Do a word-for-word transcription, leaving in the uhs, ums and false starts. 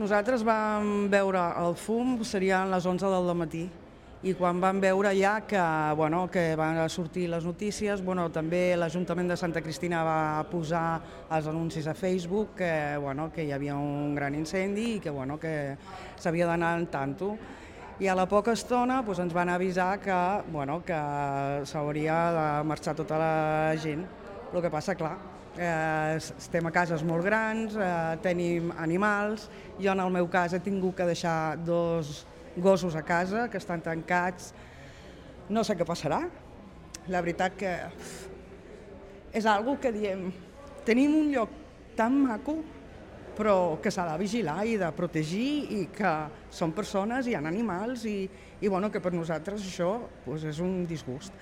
Nosaltres vam veure el fum, serien les onze del matí, i quan vam veure ja que, bueno, que van sortir les notícies, bueno, també l'Ajuntament de Santa Cristina va posar els anuncis a Facebook que, bueno, que hi havia un gran incendi i que, bueno, que s'havia d'anar en tanto. I a la poca estona doncs, ens van avisar que, bueno, que s'hauria de marxar tota la gent. El que passa, clar, eh, estem a cases molt grans, eh, tenim animals. Jo, en el meu cas, he tingut que deixar dos gossos a casa que estan tancats. No sé què passarà. La veritat que és algo que diem, tenim un lloc tan maco, però que s'ha de vigilar i de protegir i que són persones, hi ha animals i, i bueno, que per nosaltres això doncs és un disgust.